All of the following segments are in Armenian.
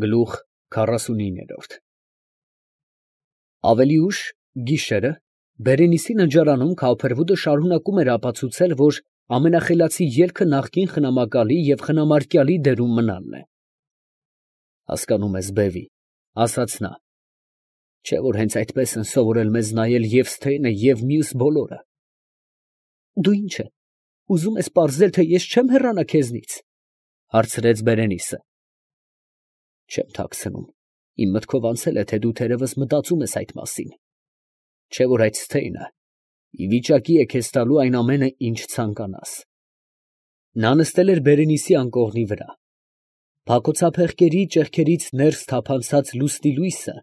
Գլուխ 49 Ավելի ուշ, գիշերը, Բերենիսի ննջարանում Քավփերվուդը շարունակում էր ապացուցել, որ ամենախելացի ելքը նախկին խնամակալի և խնամարկյալի դերում մնալն է։ Հասկանում ես, բևի, ասաց նա, չէ՞ որ հենց այդպես են սովորել մեզ նայել և Սթեյնը և մյուս բոլորը։ Դու ինչ է, ուզում ես պարզել, թե ես չեմ հեռանա քեզնից, հարցրեց Բերենիսը։ Չեմ թաքցնում, իմ մտքով անցել է, թե դու թերևս մտածում ես այդ մասին, չէ՞ որ այդ Սթեյնը ի վիճակի է քեզ տալու այն ամենը, ինչ ցանկանաս։ Նա նստել էր Բերենիսի անկողնի վրա։ Փակոցափեղկերի ճեղքերից ներս թափանցած լուսնի լույսը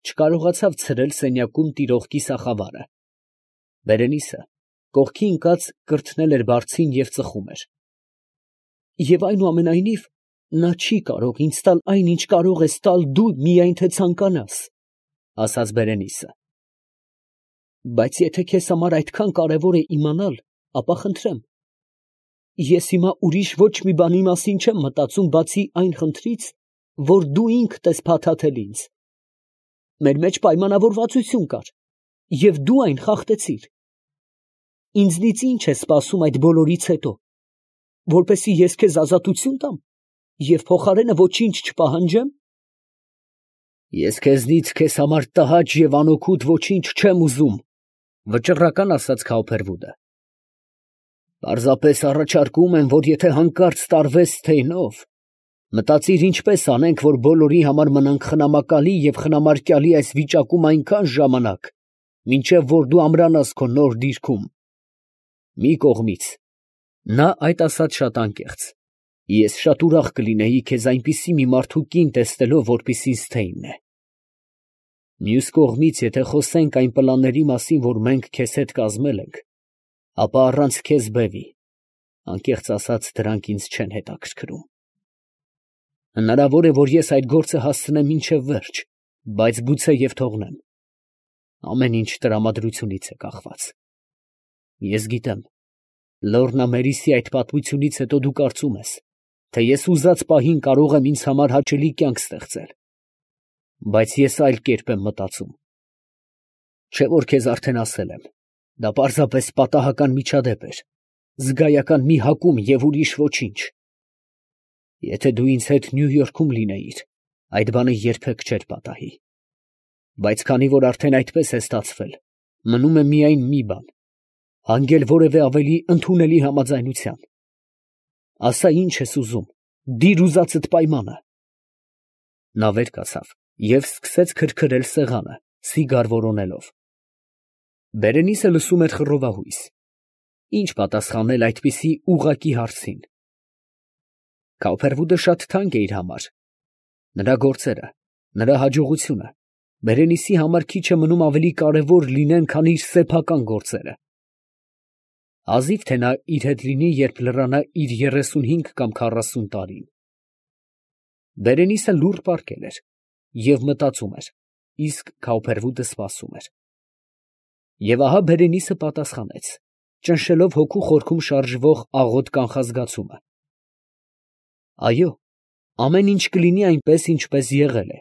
չկարողացավ ցրել սենյակում տիրող կիսախավարը։ Բերենիսը կողքի ընկած կրթնել էր բարձին և ծխում էր։ Եվ այնուամենայնիվ, նա չի կարող ինձ տալ այն, ինչ կարող ես տալ դու միայն թե ցանկանաս, ասաց Բերենիսը։ Բայց եթե քեզ համար այդքան կարևոր է իմանալ, ապա խնդրեմ, ես հիմա ուրիշ ոչ մի բանի մասին չեմ մտածում, բացի այն խնդրից, որ դու ինքդ ես փաթաթել ինձ։ Մեր մեջ պայմանավորվածություն կար, և դու այն խախտեցիր։ Ինձնից ի՞նչ ես սպասում այդ բոլորից հետո, որպեսզի ես քեզ ազատություն տամ և փոխարենը ոչինչ չպահանջեմ։ Ես քեզնից քեզ համար տհաճ և անօգուտ ոչինչ չեմ ուզում, վճռական ասաց Քավփերվուդը։ Պարզապես առաջարկում եմ, որ եթե հանկարծ տարվես Սթեյնով, մտածիր ինչպես անենք, որ բոլորի համար մնանք խնամակալի և խնամարկյալի այս վիճակում այնքան ժամանակ, մինչև որ դու ամրանաս քո նոր դիրքում։ Մի կողմից, նա այդ ասաց շատ անկեղծ, ես շատ ուրախ կլինեի քեզ այնպիսի մի մարդու կին տեսնելով, որպիսին Սթեյնն է։ Մյուս կողմից, եթե խոսենք այն պլանների մասին, որ մենք քեզ հետ կազմել ենք, ապա առանց քեզ, բևի, անկեղծ ասած, դրանք ինձ չեն հետաքրքրում։ Հնարավոր է, որ ես այդ գործը հասցնեմ մինչև վերջ, բայց գուցե և թողնեմ։ Ամեն ինչ տրամադրությունից է կախված։ Ես գիտեմ, Լոռնա Մերիսի այդ պատմությունից հետո դու կարծում ես, թե ես ուզած պահին կարող եմ ինձ համար հաճելի կյանք ստեղծել, բայց ես այլ կերպ եմ մտածում։ Չէ՞ որ քեզ արդեն ասել եմ, դա պարզապես պատահական միջադեպ էր, զգայական մի հակում և ուրիշ ոչինչ։ Եթե դու ինձ հետ Նյու Յորքում լինեիր, այդ բանը երբեք չէր պատահի։ Բայց քանի որ արդեն այդպես է ստացվել, մնում է միայն մի բան, հանգել որևէ ավելի ընդունելի համաձայնության։ Ասա, ինչ ես ուզում, դիր ուզածդ պայմանը։ Նա վեր կացավ և սկսեց քրքրել սեղանը, սիգար որոնելով։ Բերենիսը լսում էր խռովահույս։ Ինչ պատասխանել այդպիսի ուղղակի հարցին։ Քավփերվուդը շատ թանկ է իր համար։ Նրա գործերը, նրա հաջողությունը Բերենիսի համար քիչ է մնում ավելի կարևոր լինեն, քան իր սեփական գործերը։ Հազիվ թե նա իր հետ լինի, երբ լրանա իր 35 կամ 40 տարին։ Բերենիսը լուռ պառկել էր և մտածում էր, իսկ Քավփերվուդը սպասում էր։ Եվ ահա Բերենիսը պատասխանեց, ճնշելով հոգու խորքում շարժվող աղոտ կանխազգացումը. Այո, ամեն ինչ կլինի այնպես, ինչպես եղել է։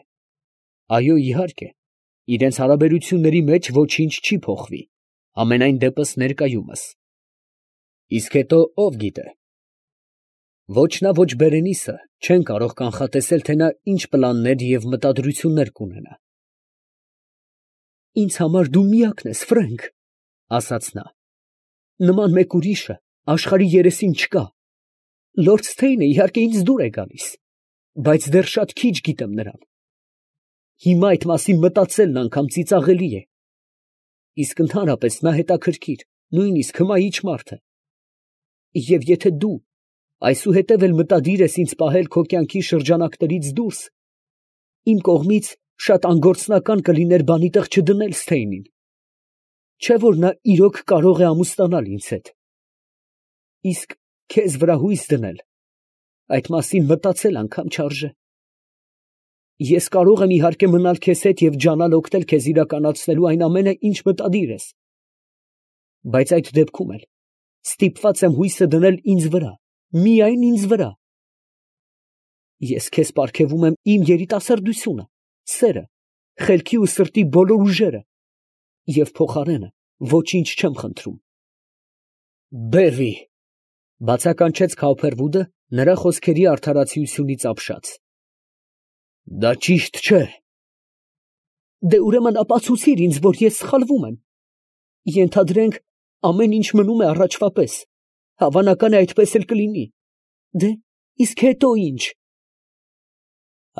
Այո, իհարկե, իրենց հարաբերությունների մեջ ոչինչ չի փոխվի, համենայն դեպս ներկայումս։ Իսկ հետո ով գիտե։ Ոչ նա, ոչ Բերենիսը չեն կարող կանխատեսել, թե նա ինչ պլաններ և մտադրություններ կունենա։ Ինձ համար դու միակն ես, Ֆրենք, ասաց նա։ Նման մեկ ուրիշը աշխարհի երեսին չկա։ Լորդ Սթեյնը իհարկե ինձ դուր է գալիս, բայց դեռ շատ քիչ գիտեմ նրան։ Հիմա այդ մասին մտածելն անգամ ծիծաղելի է։ Իսկ ընդհանրապես նա հետաքրքիր, նույնիսկ հմայիչ մարդ է։ Եվ եթե դու այսուհետև էլ մտադիր ես ինձ պահել քո կյանքի շրջանակներից դուրս, իմ կողմից շատ անգործնական կլիներ բանի տեղ չդնել Սթեյնին։ Չէ՞ որ նա իրոք կարող է ամուսնանալ ինձ հետ։ Իսկ քեզ վրա հույս դնել, այդ մասին մտածել անգամ չարժե։ Ես կարող եմ իհարկե մնալ քեզ հետ և ջանալ օգնել քեզ իրականացնելու այն ամենը, ինչ մտադիր ես։ Բայց այդ դեպքում էլ ստիպված եմ հույսը դնել ինձ վրա, միայն ինձ վրա։ Ես քեզ պարգևում եմ իմ երիտասարդությունը, սերը, խելքի ու սրտի բոլոր ուժերը և փոխարենը ոչինչ չեմ խնդրում։ Բևի, բացականչեց Քաուփերվուդը նրա խոսքերի արդարացիությունից ապշած։ Դա ճիշտ չէ։ Դե ուրեմն ապացուցիր ինձ, որ ես սխալվում եմ։ Ենթադրենք, ամեն ինչ մնում է առաջվա պես, հավանական է այդպես էլ կլինի։ Դե, իսկ հետո ինչ։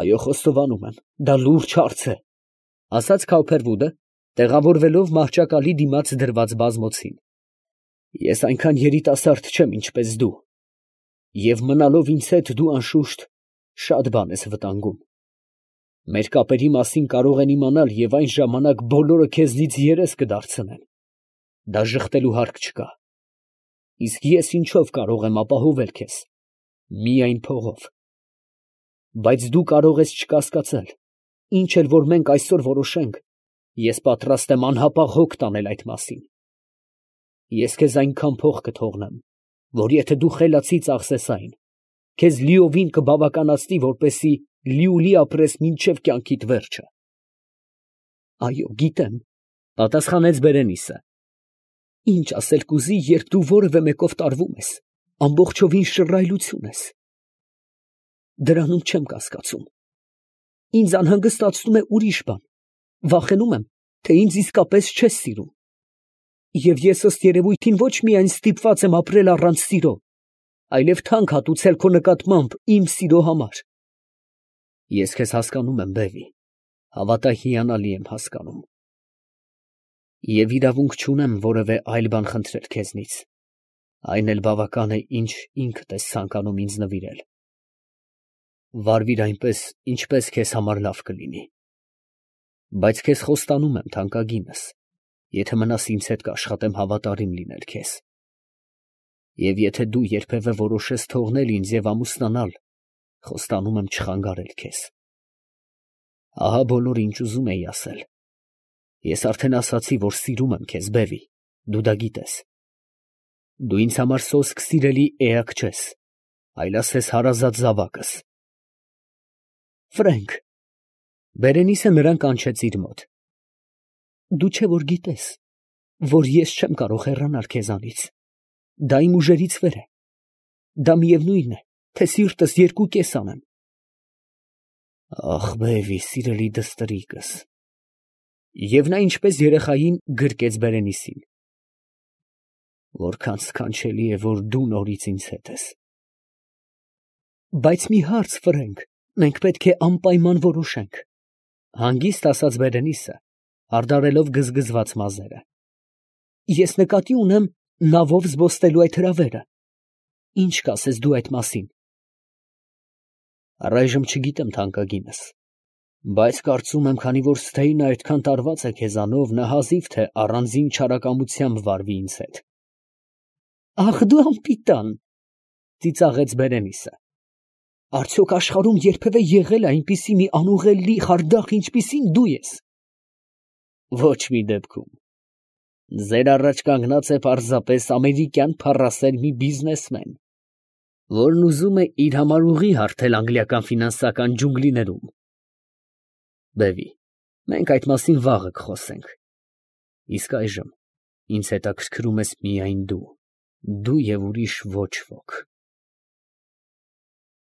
Այո, խոստովանում եմ, դա լուրջ հարց է, ասաց Քաուփերվուդը, տեղավորվելով մահճակալի դիմաց դրված բազմոցին։ Ես այնքան երիտասարդ չեմ, ինչպես դու, և մնալով ինձ հետ դու անշուշտ շատ բան ես վտանգում։ Մեր կապերի մասին կարող են իմանալ և այն ժամանակ բոլորը քեզնից երես կդարձնեն։ Դա ժխտելու հարկ չկա։ Իսկ ես ինչով կարող եմ ապահովել քեզ։ Միայն փողով։ Բայց դու կարող ես չկասկածել, ինչ էլ որ մենք այսօր որոշենք, ես պատրաստ եմ անհապաղ հոգ տանել այդ մասին։ Ես քեզ այնքան փող կթողնեմ, որ եթե դու խելացի ծախսես այն, քեզ լիովին կբավականացնի, որպեսզի լիուլի ապրես մինչև կյանքիդ վերջը։ Այո, գիտեմ, պատասխանեց Բերենիսը։ Ինչ ասել կուզի, երբ դու որևէ մեկով տարվում ես, ամբողջովին շռայլություն ես։ Դրանում չեմ կասկածում։ Ինձ անհանգստացնում է ուրիշ բան։ Վախենում եմ, թե ինձ իսկապես չես սիրում։ Եվ ես ըստ երևույթին ոչ միայն ստիպված եմ ապրել առանց սիրո, այլև թանկ հատուցել քո նկատմամբ իմ սիրո համար։ Ես քեզ հասկանում եմ, Բևի, հավատա հիանալի եմ հասկանում։ Եվ իրավունք չունեմ որևէ այլ բան խնդրել քեզնից, այն էլ բավական է, ինչ ինքդ ես ցանկանում ինձ նվիրել։ Վարվիր այնպես, ինչպես քեզ համար լավ կլինի։ Բայց քեզ խոստանում եմ, թանկագինս, եթե մնաս ինձ հետ կաշխատեմ հավատարիմ լինել քեզ։ Եվ եթե դու երբևէ որոշես թողնել ինձ և ամուսնանալ, խոստանում եմ չխանգարել քեզ։ Ահա բոլորը, ինչ ուզում էի ասել։ Ես արդեն ասացի, որ սիրում եմ քեզ, Բևի, դու դա գիտես։ Դու ինձ համար սոսկ սիրելի էակ չես, այլ ասես հարազատ զավակս։ Ֆրենկ, Բերենիսը նրան կանչեց իր մոտ։ Դու չէ որ գիտես, որ ես չեմ կարող հեռանալ քեզանից։ Դա իմ ուժերից վեր է։ Դա միևնույն է, թե սիրտս երկու կես անեմ։ Ախ, Բևի, սիրելի դստրիկս։ Եվ նա ինչպես երեխային գրկեց Բերենիսին։ Որքան սքանչելի է, որ դու նորից ինձ հետ ես։ Բայց մի հարց, Ֆրենկ, մենք պետք է անպայման որոշենք, հանգիստ ասաց Բերենիսը, հարդարելով գզգզված մազերը։ Ես նկատի ունեմ նավով զբոսնելու այդ հրավերը։ Ինչ կասես դու այդ մասին։ Առայժմ չգիտեմ, թանկագինս, բայց կարծում եմ, քանի որ Սթեյնը այդքան տարված է քեզանով, նա հազիվ թե առանձին չարակամությամբ վարվի ինձ հետ։ Ախ, դու անպիտան, ծիծաղեց Բերենիսը։ Արդյոք աշխարհում երբևէ եղել է այնպիսի մի անուղելի խարդախ, ինչպիսին դու ես։ Ոչ մի դեպքում։ Ձեր առաջ կանգնած է պարզապես ամերիկյան փառասեր մի բիզնեսմեն, որն ուզում է իր համար ուղի հարթել անգլիական ֆինանսական ջունգլիներում։ Բևի, մենք այդ մասին վաղը կխոսենք։ Իսկ այժմ ինձ հետաքրքրում ես միայն դու և ուրիշ ոչ ոք։